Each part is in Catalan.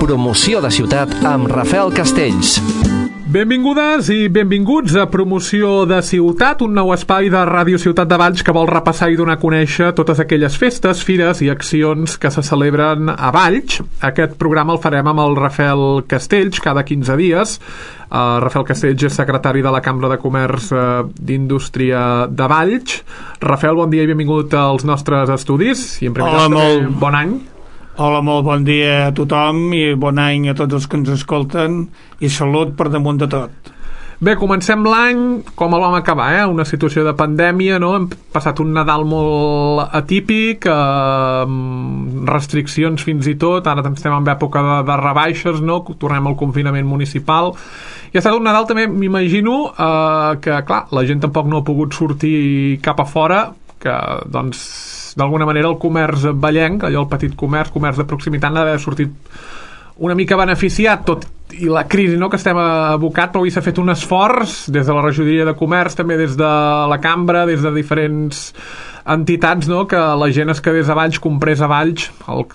Promoció de ciutat amb Rafael Castells. Benvingudes i benvinguts a Promoció de Ciutat, un nou espai de Ràdio Ciutat de Valls que vol repassar i donar a conèixer totes aquelles festes, fires i accions que se celebren a Valls. Aquest programa el farem amb el Rafael Castells cada 15 dies. Rafael Castells és secretari de la Cambra de Comerç d'Indústria de Valls. Rafael, bon dia i benvingut als nostres estudis. I en primer lloc, bon any. Hola, molt bon dia a tothom i bon any a tots els que ens escolten i salut per damunt de tot. Bé, comencem l'any com el vam acabar, una situació de pandèmia, no? Hem passat un Nadal molt atípic, restriccions fins i tot, ara estem en època de rebaixes, no? Tornem al confinament municipal, i ha estat un Nadal també, m'imagino, que clar, la gent tampoc no ha pogut sortir cap a fora, que doncs d'alguna manera el comerç vallenc, allò el petit comerç de proximitat, n'ha d'haver sortit una mica beneficiat, tot i la crisi, no?, que estem abocat, però avui s'ha fet un esforç des de la regidoria de comerç, també des de la cambra, des de diferents entitats, no?, que la gent es quedés a Valls, comprés a Valls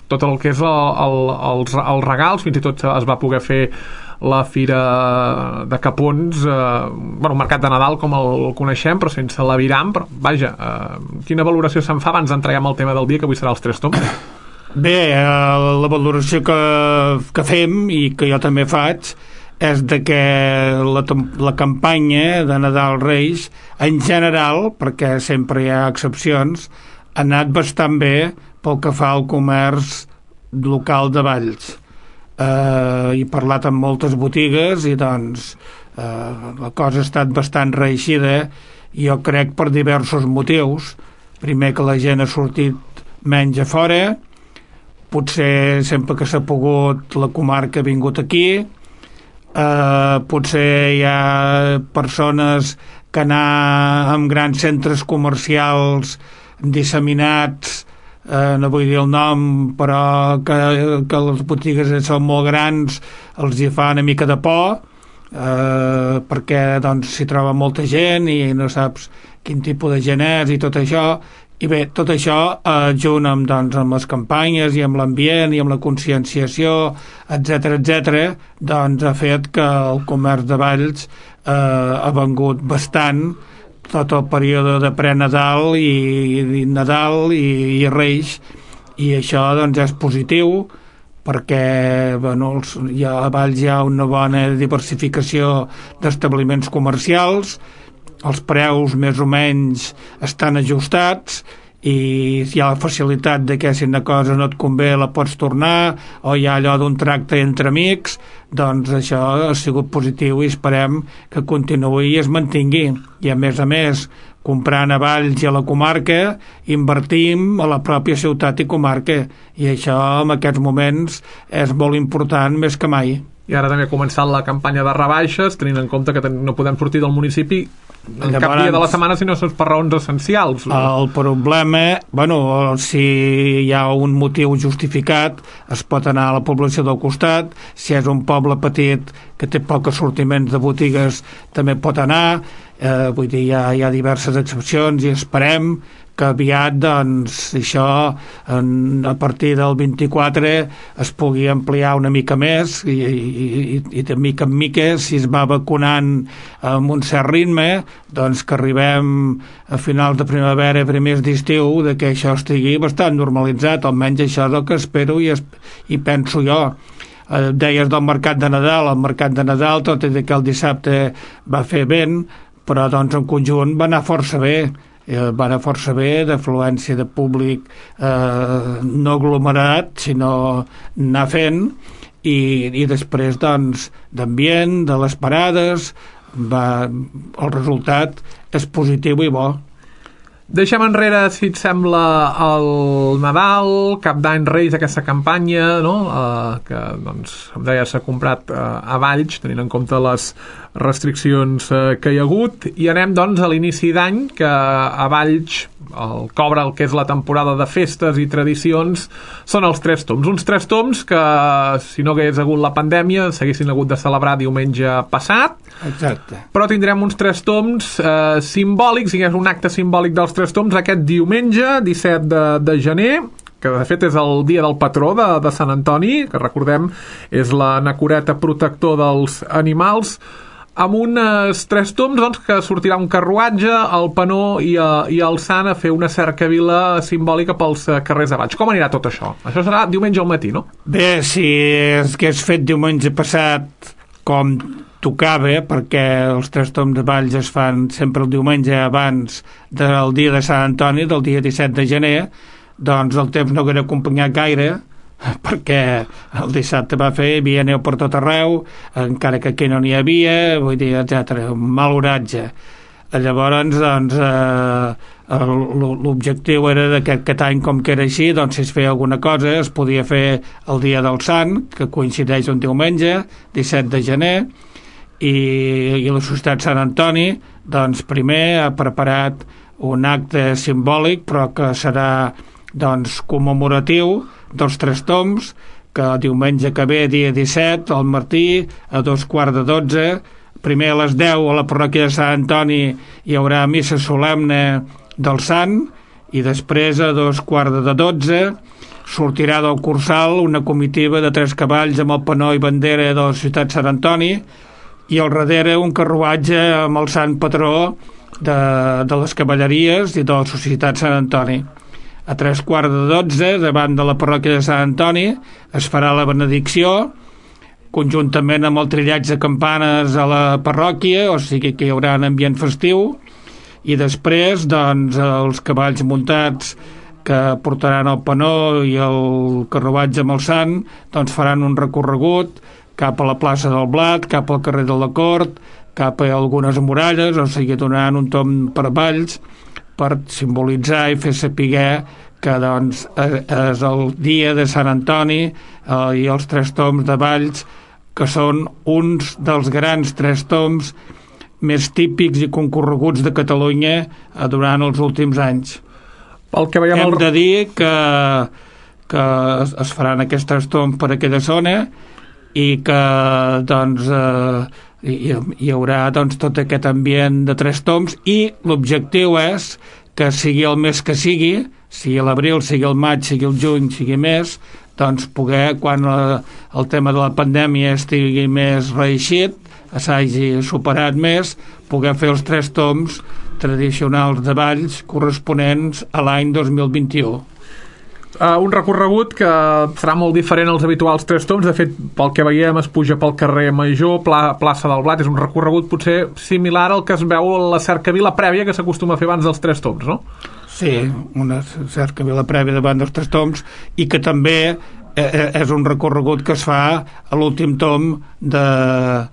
tot el que és els regals, fins i tot es va poder fer la fira de Capons, un mercat de Nadal com el coneixem, però sense l'aviram, però vaja, quina valoració se'n fa abans d'entrar amb el tema del dia, que avui serà els Tres Tombs? Bé, la valoració que fem i que jo també faig és de que la campanya de Nadal Reis en general, perquè sempre hi ha excepcions, ha anat bastant bé pel que fa al comerç local de Valls. He parlat amb moltes botigues i doncs la cosa ha estat bastant reeixida, i jo crec per diversos motius. Primer, que la gent ha sortit menys a fora, potser sempre que s'ha pogut la comarca ha vingut aquí, potser hi ha persones que anar en grans centres comercials disseminats, no vull dir el nom, però que les botigues són molt grans, els hi fa una mica de por, perquè doncs s'hi troba molta gent i no saps quin tipus de gent és i tot això. I bé, tot això junt amb les campanyes i amb l'ambient i amb la conscienciació, etc., doncs ha fet que el comerç de Valls ha vengut bastant tot el període de pre-Nadal i Nadal i Reis, i això doncs és positiu perquè a Valls hi ha una bona diversificació d'establiments comercials, els preus més o menys estan ajustats i hi ha la facilitat de que si una cosa no et convé la pots tornar, o hi ha allò d'un tracte entre amics. Doncs això ha sigut positiu i esperem que continuï i es mantingui. I a més, comprant a Valls i a la comarca, invertim a la pròpia ciutat i comarca, i això en aquests moments és molt important més que mai. I ara també ha començat la campanya de rebaixes, tenint en compte que no podem sortir del municipi en cap dia de la setmana si no són per raons essencials. El problema, si hi ha un motiu justificat, es pot anar a la població del costat. Si és un poble petit que té pocs sortiments de botigues, també pot anar. Vull dir, hi ha diverses excepcions i esperem que aviat, doncs, això a partir del 24 es pugui ampliar una mica més i de mica en mica, si es va vacunant amb un cert ritme, doncs que arribem a finals de primavera, primers d'estiu, de que això estigui bastant normalitzat. Almenys això és el que espero i penso jo. Deies del mercat de Nadal. El mercat de Nadal, tot i que el dissabte va fer vent, però doncs en conjunt va anar força bé. Va anar força bé, d'afluència de públic no aglomerat, sinó anar fent, i després doncs d'ambient, de les parades, el resultat és positiu i bo. Deixem enrere, si et sembla, el Nadal, Cap d'Any, Reis, aquesta campanya, no? Que, doncs, com deia, s'ha comprat a Valls, tenint en compte les restriccions que hi ha hagut, i anem, doncs, a l'inici d'any, que a Valls cobra el que és la temporada de festes i tradicions, són els Tres Tombs. Uns Tres Tombs que, si no hagués hagut la pandèmia, s'haguessin hagut de celebrar diumenge passat. Exacte. Però tindrem uns Tres Tombs simbòlics, i és un acte simbòlic dels Tres Tombs aquest diumenge, 17 de gener, que de fet és el dia del patró de Sant Antoni, que recordem és l'anacoreta protector dels animals, amb uns 3 tombs, doncs, que sortirà un carruatge, el penó i el sant a fer una cercavila simbòlica pels carrers de Valls. Com anirà tot això? Això serà diumenge al matí, no? Bé, si hagués fet diumenge passat com tocava, perquè els 3 tombs de Valls es fan sempre el diumenge abans del dia de Sant Antoni, del dia 17 de gener, doncs el temps no hauria acompanyat gaire, perquè el dissabte va fer, hi havia neu per tot arreu, encara que aquí no n'hi havia, vull dir, etc. Un mal oratge. Llavors, doncs, l'objectiu era que aquest any, com que era així, doncs, si es feia alguna cosa, es podia fer el dia del Sant, que coincideix un diumenge, 17 de gener, i la Societat Sant Antoni, doncs, primer ha preparat un acte simbòlic, però que serà, doncs, commemoratiu dels 3 tombs, que diumenge que ve, dia 17, al matí, a 11:45, primer a les 10 a la parròquia de Sant Antoni hi haurà missa solemne del Sant, i després a 11:45 sortirà del Cursal una comitiva de 3 cavalls amb el penó i bandera de la ciutat Sant Antoni, i al darrere un carruatge amb el sant patró de les cavalleries i de la societat Sant Antoni. A 11:45, davant de la parròquia de Sant Antoni, es farà la benedicció, conjuntament amb el trillatge de campanes a la parròquia, o sigui que hi haurà un ambient festiu, i després, doncs, els cavalls muntats que portaran el penó i el carruatge amb el sant, doncs faran un recorregut cap a la plaça del Blat, cap al carrer de la Cort, cap a algunes muralles, o sigui, donaran un tomb per Valls, per simbolitzar i fer saber que, doncs, és el dia de Sant Antoni i els 3 tombs de Valls, que són uns dels grans 3 tombs més típics i concorreguts de Catalunya durant els últims anys. Pel que veiem hem de dir que es faran aquests 3 tombs per aquella zona i que, doncs, hi haurà, doncs, tot aquest ambient de 3 tombs, i l'objectiu és que sigui el mes que sigui l'abril, sigui el maig, sigui el juny, sigui més, doncs poder, quan el tema de la pandèmia estigui més reeixit, s'hagi superat més, poder fer els 3 tombs tradicionals de Valls corresponents a l'any 2021. Un recorregut que serà molt diferent als habituals 3 tombs. De fet, pel que veiem, es puja pel carrer Major, plaça del Blat. És un recorregut potser similar al que es veu a la cercavila prèvia que s'acostuma a fer abans dels 3 tombs, no? Sí, una cercavila prèvia davant dels 3 tombs, i que també és un recorregut que es fa a l'últim tomb dels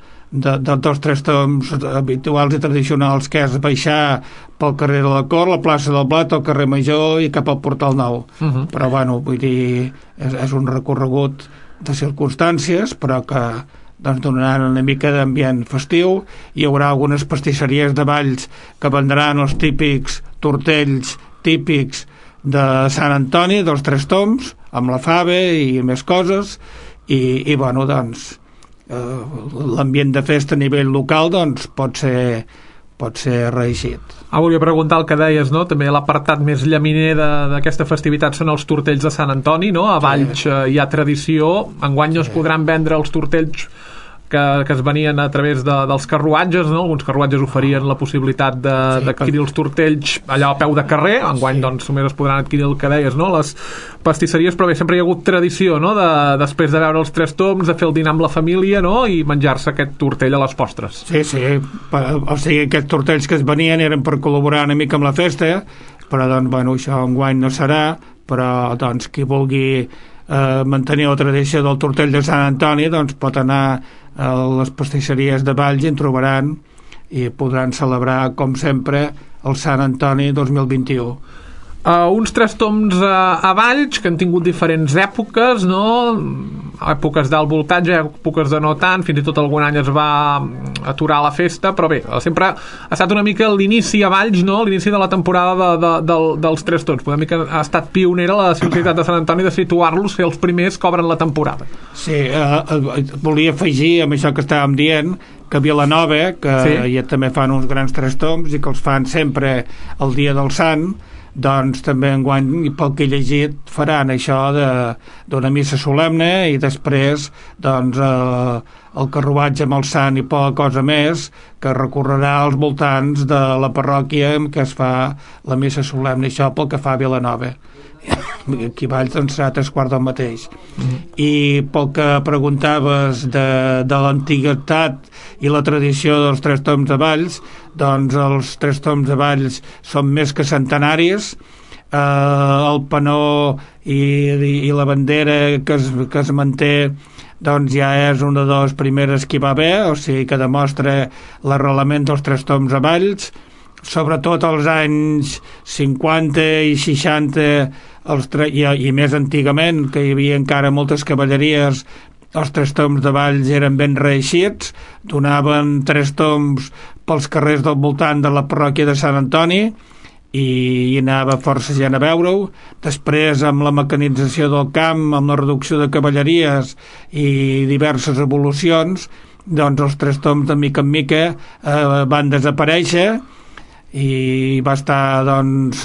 3 tombs habituals i tradicionals, que és baixar pel carrer de la Cort, la plaça del Blat, el carrer Major i cap al Portal Nou. Però, bueno, vull dir, és un recorregut de circumstàncies, però que, doncs, donaran una mica d'ambient festiu. Hi haurà algunes pastisseries de Valls que vendran els típics tortells típics de Sant Antoni, dels 3 tombs, amb la fava i més coses, i bueno, doncs, l'ambient de festa a nivell local, doncs, pot ser reeixit. Volia preguntar el que deies, no? També l'apartat més llaminer d'aquesta festivitat són els tortells de Sant Antoni, no? A Valls hi ha tradició. Enguany no es podran vendre els tortells que es venien a través dels carruatges, no? Alguns carruatges oferien la possibilitat d'adquirir els tortells allà a peu de carrer. Enguany, doncs, només es podran adquirir el que deies, no? Les pastisseries, però bé, sempre hi ha hagut tradició, no? Després de veure els 3 tombs, de fer el dinar amb la família, no? I menjar-se aquest tortell a les postres. Sí, o sigui, aquests tortells que es venien eren per col·laborar una mica amb la festa, però, doncs, bueno, això enguany no serà, però, doncs, qui vulgui mantenir la tradició del tortell de Sant Antoni, doncs pot anar a les pastisseries de Valls i en trobaran, i podran celebrar, com sempre, el Sant Antoni 2021. Uns 3 tombs a Valls que han tingut diferents èpoques, no? Èpoques d'alt voltatge, èpoques de no tant, fins i tot algun any es va aturar la festa, però bé, sempre ha estat una mica l'inici a Valls, no? L'inici de la temporada dels 3 tombs. Una mica ha estat pionera la ciutat de Sant Antoni de situar-los, ser els primers que obren la temporada. Sí, volia afegir amb això que estàvem dient, que a Vilanova, que ja també fan uns grans 3 tombs i que els fan sempre el dia del Sant, doncs també enguany, pel que he llegit, faran això d'una missa solemne i després doncs el carruatge amb el sant i poca cosa més que recorrerà als voltants de la parròquia en què es fa la missa solemne, això pel que fa a Vilanova. Aquí Valls doncs serà 3/4 del mateix. I pel que preguntaves de l'antiguitat i la tradició dels Tres Tombs de Valls, doncs els Tres Tombs de Valls són més que centenaris. El panó i la bandera que es manté doncs ja és una de les primeres que hi va haver, o sigui que demostra l'arrelament dels Tres Tombs de Valls, sobretot als anys 50 i 60 i més antigament, que hi havia encara moltes cavalleries. Els Tres Tombs de Valls eren ben reeixits, donaven 3 tombs pels carrers del voltant de la parròquia de Sant Antoni i hi anava força gent a veure-ho. Després, amb la mecanització del camp, amb la reducció de cavalleries i diverses evolucions, doncs els 3 tombs de mica en mica van desaparèixer i va estar doncs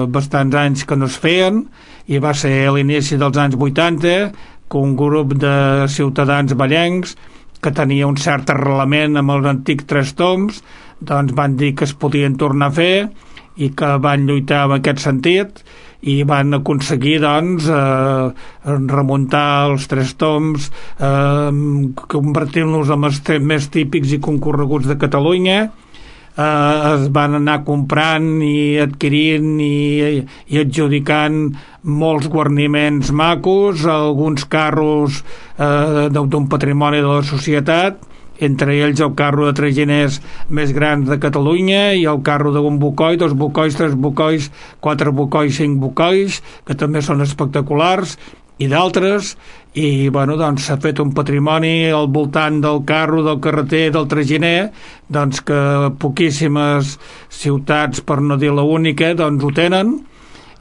bastants anys que no es feien, i va ser a l'inici dels anys 80 que un grup de ciutadans vallencs que tenia un cert arrelament amb els antics 3 tombs doncs van dir que es podien tornar a fer i que van lluitar en aquest sentit i van aconseguir doncs remuntar els 3 tombs, convertir-los en els més típics i concorreguts de Catalunya. Es van anar comprant i adquirint i adjudicant molts guarniments macos, alguns carros d'un patrimoni de la societat, entre ells el carro de traginers més grans de Catalunya i el carro d'un bocoi, 2 bocois, 3 bocois, 4 bocois, 5 bocois, que també són espectaculars, i d'altres, i bueno, doncs s'ha fet un patrimoni al voltant del carro, del carreter, del traginer, doncs que poquíssimes ciutats, per no dir l'única, doncs ho tenen,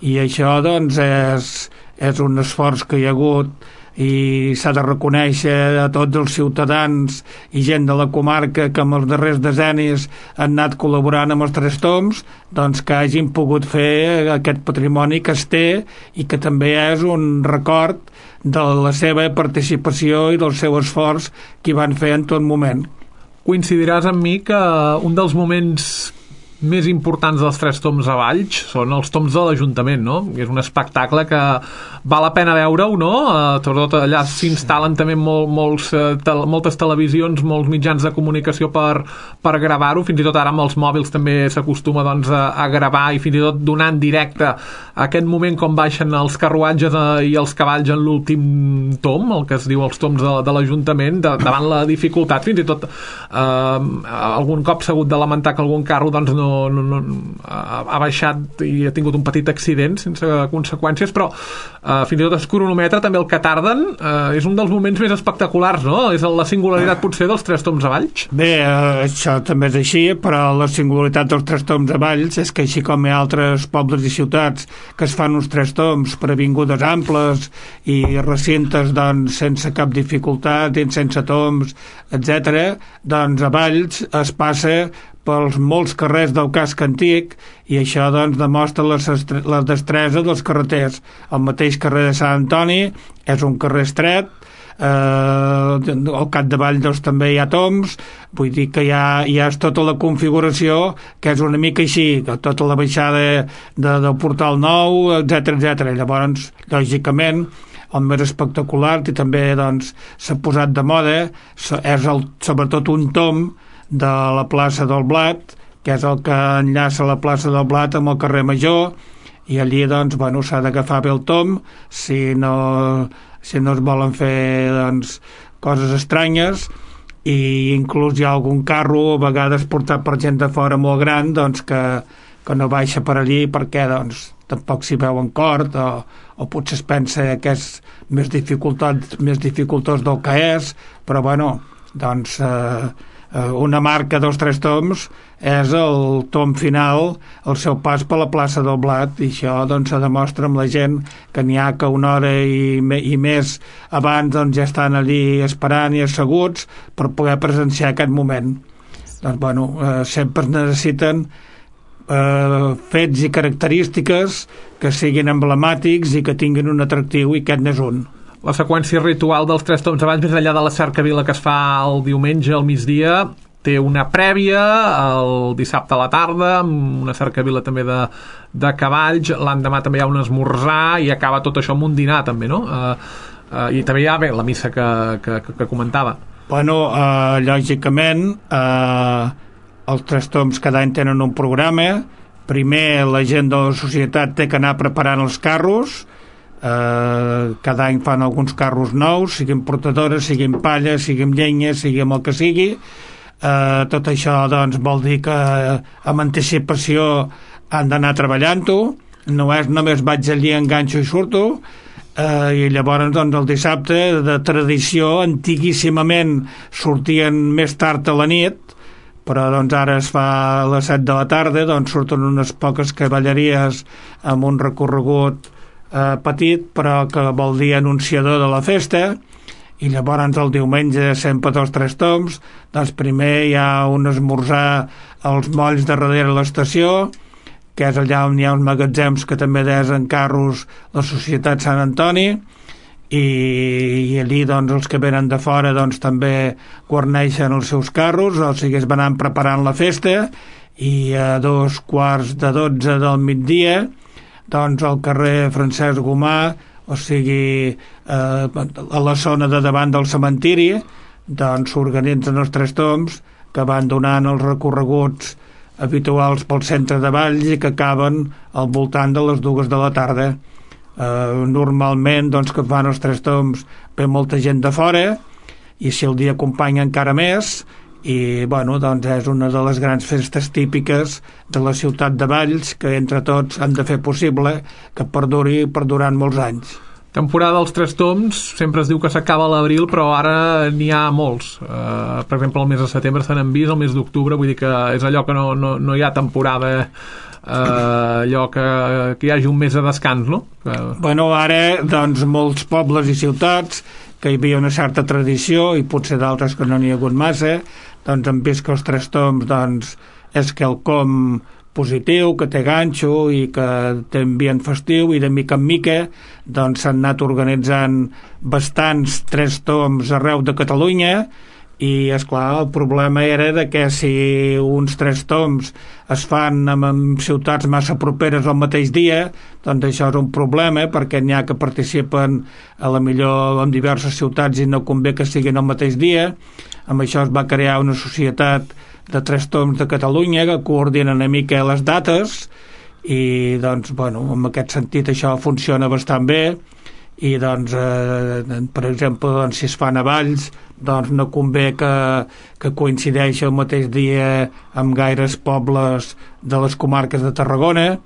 i això doncs és un esforç que hi ha hagut i s'ha de reconèixer a tots els ciutadans i gent de la comarca que en els darrers decennis han anat col·laborant amb els 3 tombs, doncs que hagin pogut fer aquest patrimoni que es té i que també és un record de la seva participació i del seu esforç que hi van fer en tot moment. Coincidiràs amb mi que un dels moments més importants dels 3 tombs a Valls són els tombs de l'Ajuntament, no? És un espectacle que val la pena veure-ho, no? Sobretot allà s'instal·len també moltes televisions, molts mitjans de comunicació per gravar-ho, fins i tot ara amb els mòbils també s'acostuma doncs, a gravar i fins i tot donar en directe aquest moment com baixen els carruatges i els cavalls en l'últim tom, el que es diu els tombs de l'Ajuntament, davant la dificultat, fins i tot algun cop s'ha hagut de lamentar que algun carro doncs no ha baixat i ha tingut un petit accident sense conseqüències, però fins i tot es cronometra també el que tarden. És un dels moments més espectaculars, no? És la singularitat potser dels 3 tombs a Valls. Bé, això també és així, però la singularitat dels 3 tombs a Valls és que així com hi ha altres pobles i ciutats que es fan uns 3 tombs per avingudes amples i recintes doncs sense cap dificultat i sense tombs, etc., doncs a Valls es passa pels molts carrers del casc antic i això doncs demostra la destresa dels carreters. El mateix carrer de Sant Antoni és un carrer estret, al capdavall doncs també hi ha tombs, vull dir que ja és tota la configuració que és una mica així, tota la baixada del Portal Nou, etc. Llavors, lògicament, el més espectacular i també doncs s'ha posat de moda és sobretot un tom de la plaça del Blat, que és el que enllaça la plaça del Blat amb el carrer Major, i allí doncs, bueno, s'ha d'agafar bé el tom si no es volen fer doncs, coses estranyes, i inclús hi ha algun carro a vegades portat per gent de fora molt gran doncs, que no baixa per allí perquè doncs, tampoc s'hi veu en cort o potser es pensa que és més dificultós del que és, però bueno, doncs una marca dels 3 tombs és el tom final, el seu pas per la plaça del Blat, i això doncs se demostra amb la gent que n'hi ha que una hora i més abans doncs ja estan allí esperant i asseguts per poder presenciar aquest moment. Doncs bueno, sempre es necessiten fets i característiques que siguin emblemàtics i que tinguin un atractiu, i aquest n'és un. La seqüència ritual dels 3 tombs abans, més enllà de la cercavila que es fa el diumenge al migdia, té una prèvia el dissabte a la tarda, amb una cercavila també de cavalls, l'endemà també hi ha un esmorzar i acaba tot això amb un dinar també, no? I també hi ha la missa que comentava. Bueno, lògicament els 3 tombs cada any tenen un programa. Primer la gent de la societat té que anar preparant els carros. Cada any fan alguns carros nous, siguin portadores, siguin palla, siguin llenya, siguin el que sigui. Tot això doncs vol dir que amb anticipació han d'anar treballant-ho, no és només vaig allí, enganxo i surto. I llavors doncs el dissabte, de tradició, antiguíssimament sortien més tard a la nit, però doncs ara es fa a les 7 de la tarda, doncs surten unes poques cavalleries amb un recorregut petit, però que vol dir anunciador de la festa. I llavors el diumenge, sempre dels 3 tombs, doncs primer hi ha un esmorzar als molls de darrere l'estació, que és allà on hi ha uns magatzems que també desen carros la Societat Sant Antoni, i allí doncs els que venen de fora doncs també guarneixen els seus carros, o sigui es van preparant la festa, i a 11:45 del migdia doncs al carrer Francesc Gomà, o sigui a la zona de davant del cementiri, doncs s'organitzen els 3 tombs que van donant els recorreguts habituals pel centre de Valls i que acaben al voltant de les 2 de la tarda. Normalment doncs que fan els 3 tombs ve molta gent de fora, i si el dia acompanya encara més, i bueno, doncs és una de les grans festes típiques de la ciutat de Valls, que entre tots han de fer possible que perduri per durant molts anys. Temporada dels 3 tombs, sempre es diu que s'acaba a l'abril, però ara n'hi ha molts. Per exemple, el mes de setembre se n'han vist, el mes d'octubre, vull dir que és allò que no hi ha temporada, allò que hi hagi un mes de descans, no? Bueno, ara, doncs, molts pobles i ciutats que hi havia una certa tradició, i potser d'altres que no n'hi ha hagut massa, doncs han vist que els 3 tombs doncs, és quelcom positiu, que té ganxo i que té ambient festiu, i de mica en mica doncs s'han anat organitzant bastants 3 tombs arreu de Catalunya. I esclar, el problema era de que si uns 3 tombs es fan en ciutats massa properes al mateix dia, doncs això és un problema, perquè n'hi ha que participen a la millor en diverses ciutats i no convé que siguin al mateix dia. Amb això es va crear una societat de 3 tombs de Catalunya que coordina una mica les dates, i doncs, bueno, en aquest sentit això funciona bastant bé. I doncs, per exemple, doncs, si es fan a Valls, doncs no convé que coincideixi el mateix dia amb gaires pobles de les comarques de Tarragona,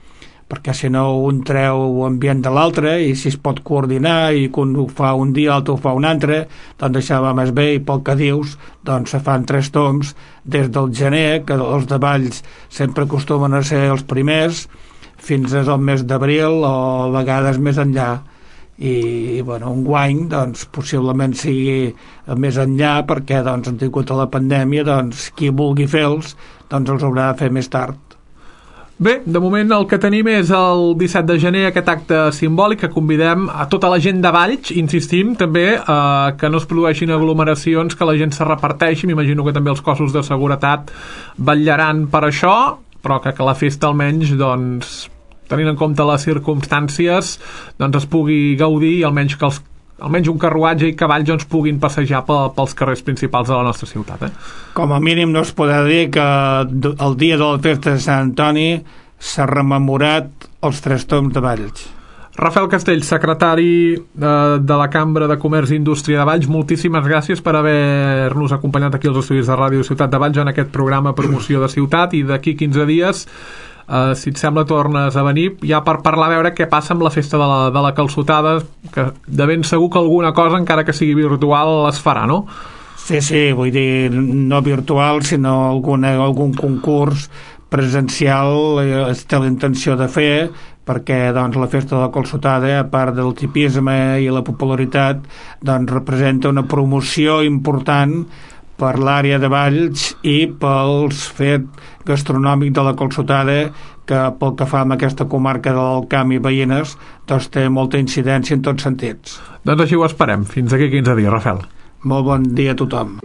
perquè si no un treu ambient de l'altre, i si es pot coordinar i que un ho fa un dia, l'altre ho fa un altre, doncs això va més bé. I pel que dius, doncs se fan 3 tombs des del gener, que els de Valls sempre acostumen a ser els primers, fins al mes d'abril o a vegades més enllà. I bueno, un guany doncs possiblement sigui més enllà, perquè doncs han tingut a la pandèmia, doncs qui vulgui fer-los doncs els haurà de fer més tard. Bé, de moment el que tenim és el 17 de gener, aquest acte simbòlic que convidem a tota la gent de Valls, insistim també, que no es produeixin aglomeracions, que la gent se reparteixi. M'imagino que també els cossos de seguretat vetllaran per això, però que la festa almenys, doncs, tenint en compte les circumstàncies, doncs es pugui gaudir, i almenys que almenys un carruatge i cavalls doncs puguin passejar pels carrers principals de la nostra ciutat. Com a mínim no es podrà dir que el dia de la festa de Sant Antoni s'ha rememorat els 3 tombs de Valls. Rafael Castells, secretari de la Cambra de Comerç i Indústria de Valls, moltíssimes gràcies per haver-nos acompanyat aquí als estudis de Ràdio Ciutat de Valls en aquest programa Promoció de Ciutat, i d'aquí 15 dies si et sembla tornes a venir ja per parlar, a veure què passa amb la festa de la calçotada, que de ben segur que alguna cosa, encara que sigui virtual, es farà, no? Sí, vull dir, no virtual, sinó algun concurs presencial es té la intenció de fer, perquè doncs, la festa de la calçotada, a part del tipisme i la popularitat, doncs representa una promoció important per l'àrea de Valls i pels fet gastronòmic de la Calçotada, que pel que fa amb aquesta comarca de l'Alt Camp i veïnes, doncs té molta incidència en tots sentits. Doncs així ho esperem. Fins aquí 15 dies, Rafael. Molt bon dia a tothom.